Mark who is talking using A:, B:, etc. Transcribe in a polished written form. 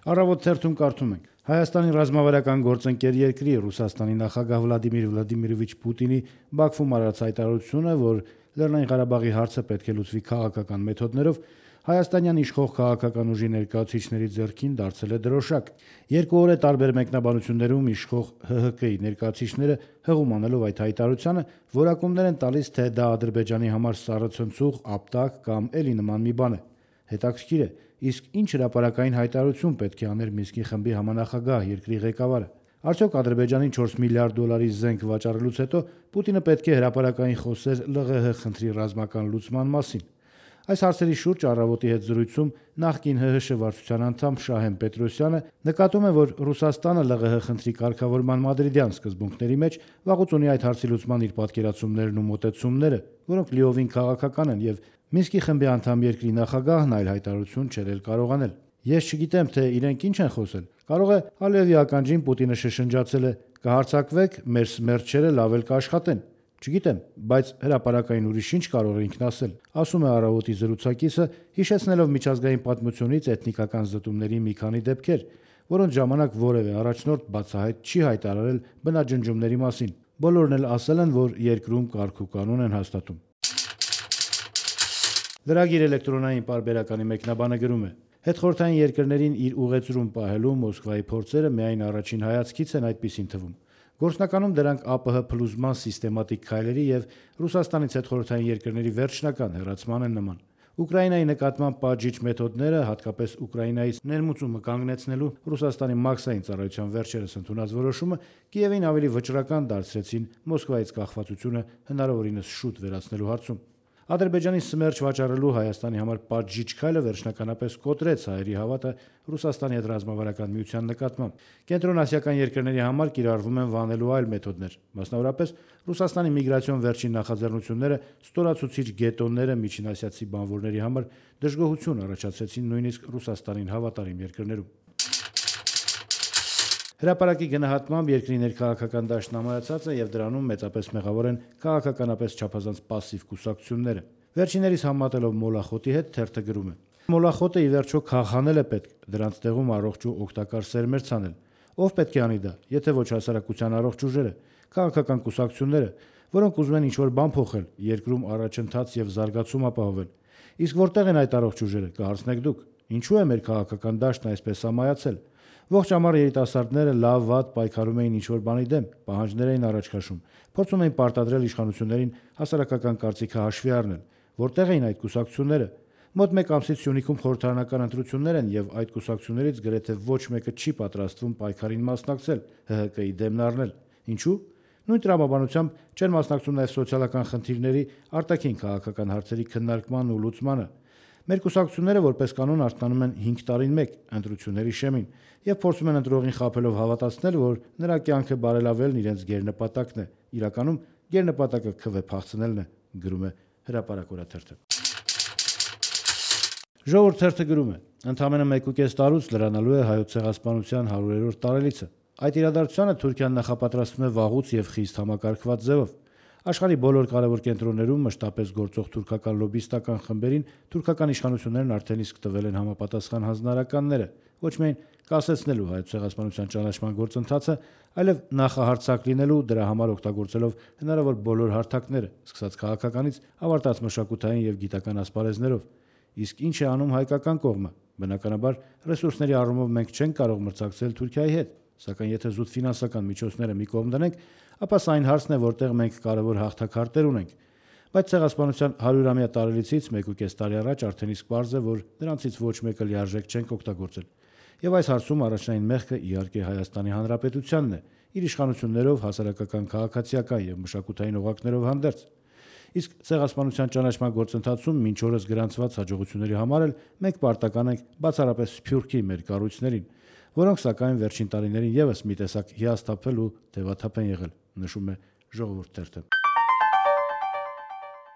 A: Առավոտ թերթում կարդում ենք. Հայաստանի ռազմավարական գործընկեր երկրի Ռուսաստանի նախագահ Վլադիմիր Վլադիմիրովիչ Պուտինի Բաքվում արած հայտարարությունը, որ Լեռնային Ղարաբաղի հարցը պետք է լուծվի քաղաքական մեթոդներով, հայաստանյան իշխող քաղաքական ուժի ներկայացուցիչների ձեռքին դարձել է դրոշակ։ 2 օր է տարբեր մեկնաբանություններում իշխող ՀՀԿ-ի ներկայացուցիչները հղում անելով այդ հայտարարությանը, որակումներ են տալիս, թե դա Ադրբեջանի համար սառը ցնցուղ, ապտակ կամ էլի նման մի բան է։ Հետաքրքիր է, իսկ ինչ հրապարակային հայտարարություն պետք է աներ Մինսկի խմբի համանախագահ երկրի ղեկավարը։ Արդյոք Ադրբեջանին 4 միլիարդ դոլարի զենք վաճառելուց հետո Պուտինը պետք է հրապարակային խոսեր ԼՂՀ խնդրի ռազմական լուծման մասին։ Այս հարցերի շուրջ Առավոտի հետ զրույցում նախկին ՀՀՇ վարչության անդամ Շահեն Պետրոսյանը նկատում է, որ Ռուսաստանը ԼՂՀ խնդրի կարգավորման մադրիդյան սկզբունքների մեջ վաղուց ունի այդ հարցի լուծման իր պատկերացումներն ու մոտեցումները, որոնք լիովին քաղաքական են, եւ Մինսկի խմբի անդամ երկրի նախագահն այլ հայտարարություն չէր կարողանել։ Ես չգիտեմ, թե իրենք ինչ են խոսել։ Կարող է Ալիևի ականջին Պուտինը շշնջացել է. «Կհարցակվեք, մեր սմերչերը լավ էլ կաշխատեն»։ Չգիտեմ, բայց հրապարակային ուրիշ ինչ կարող է ինքն ասել, ասում է Առավոտի զրուցակիցը, հիշեցնելով միջազգային պատմությունից էթնիկական զտումների մի քանի դեպքեր, որոնց ժամանակ որևէ առաջնորդ բացահայտ չի հայտարարել բնաջնջումների մասին։ Բոլորն էլ ասել են, որ երկրում կարգ ու կանոն են հաստատում։ Լրագիր էլեկտրոնային պարբերականի մեկնաբանը գրում է. Հետխորհրդային երկրներին իր ուղեծրում պահելու Մոսկվայի փորձերը միայն առաջին հայացքից են այդպիսին թվում։ Գործնականում դրանք ԱՊՀ փլուզման սիստեմատիկ քայլերի եւ Ռուսաստանից հետխորհրդային երկրների վերջնական հեռացման են նման։ Ուկրաինայի նկատմամբ պատժիչ մեթոդները, հատկապես Ուկրաինայից ներմուծումը կանգնեցնելու Ռուսաստանի մաքսային ծառայության վերջերս ընդունած որոշումը Կիևին ավելի վճռական դարձրեցին Մոսկվայից կախվածությունը հնարավորինս շուտ վերացնելու հարցում։ Ադրբեջանի սմերչ վաճառելու Հայաստանի համար պատժիչ քայլը վերջնականապես կոտրեց հայերի հավատը Ռուսաստանի հետ ռազմավարական միության նկատմամբ։ Կենտրոնասիական երկրների համար կիրառվում են վանելու այլ մեթոդներ, մասնավորապես Ռուսաստանի միգրացիոն վերջին նախաձեռնությունները ստորացուցիչ գետոնները միջինասիացի բանվորների համար դժգոհություն առաջացրեցին նույնիսկ Ռուսաստանին հավատարիմ երկրներում։ Հրապարակի գնահատմամբ երկրի ներքաղաքական դաշտն ամայացած է եւ դրանում մեծապես մեղավոր են քաղաքականապես չափազանց պասիվ կուսակցությունները։ Վերջիներիս համատելով Մոլախոտի հետ թերթը գրում է. Մոլախոտը ի վերջո քաղաքանել է պետք, դրանց տեղում առողջ ու օգտակար սերմեր ցանել։ Ով պետք է անի դա, եթե ոչ հասարակության առողջ ուժերը, քաղաքական կուսակցությունները, որոնք ուզում են ինչ-որ բան փոխել, երկրում առաջընթաց եւ զարգացում ապահովել։ Իսկ որտեղ են այդ առողջ ուժերը, կհարցնեք դուք։ Ինչու է մեր քաղաքական դաշտն այսպես ամայացել։ Ողջ ամառ երիտասարդները լավ-վատ պայքարում էին ինչ-որ բանի դեմ, պահանջներ էին առաջ քաշում, փորձում էին պարտադրել իշխանություններին հասարակական կարծիքը հաշվի առնել։ Որտեղ էին այդ կուսակցությունները։ Մոտ 1 ամսից Սյունիքում խորհրդարանական ընտրություններ են եւ այդ կուսակցություններից գրեթե ոչ մեկը չի պատրաստվում պայքարին մասնակցել, ՀՀԿ-ի դեմն առնել։ Ինչու՞։ Նույն տրամաբանությամբ չեն մասնակցում նաեւ սոցիալական խնդիրների, արտաքին քաղաքական հարցերի քննարկման ու լուծմանը։ Մեր կուսակցությունները որպես կանոն արթնանում են 5 տարին մեկ ընտրությունների շեմին եւ փորձում են ընտրողին խաբելով հավատացնել, որ նրա կյանքը բարելավելն իրենց գերնպատակն է։ Իրականում գերնպատակը քվե փախցնելն է, գրում է Հրապարակ օրաթերթը։ Ժողովուրդ թերթը գրում է. Ընդամենը 1.5 տարուց լրանալու է հայոց ցեղասպանության 100-րդ տարելիցը։ Այդ իրադարձությանը Թուրքիան նախապատրաստվում է վաղուց եւ խիստ համակարգված ձևով։ Աշխարհի բոլոր կարևոր կենտրոններում մշտապես գործող թուրքական լոբիստական խմբերին թուրքական իշխանություններն արդեն իսկ տվել են համապատասխան հանձնարարականները, ոչ միայն կասեցնելու հայոց ցեղասպանության ճանաչման գործընթացը, այլև նախահարցակ լինելու, դրա համար օգտագործելով հնարավոր բոլոր հարթակները, սկսած քաղաքականից ավարտած մշակութային եւ գիտական ասպարեզներով։ Իսկ ինչ է անում հայկական կողմը։ Բնականաբար ռեսուրսների առումով մենք չենք կարող մրցակցել Թուրքիայի հետ, սակայն եթե զուտ ֆինանսական միջոցները մի կողմ դնենք, ապա սա այն հարցն է, որտեղ մենք կարևոր հաղթակարտեր ունենք։ Բայց ցեղասպանության 100-ամյա տարելիցից 1.5 տարի առաջ արդեն իսկ պարզ է, որ նրանցից ոչ մեկը լիարժեք չենք օգտագործել։ Եվ այս հարցում առաջնային մեղքը իհարկե Հայաստանի Հանրապետությանն է, իր իշխանություններով, հասարակական քաղաքացիական եւ մշակութային օղակներով հանդերձ։ Իսկ ցեղասպանության ճանաչման գործընթացում մինչ օրս գրանցված հաջողությունների համար էլ մենք պարտական ենք բացառապես սփյուռքի մեր կառույցներին, որոնք սակայն վերջին տարիներին եւս մի տեսակ հիասթափվել ու թևաթափ են եղել, նշում է Ժողովուրդ թերթը։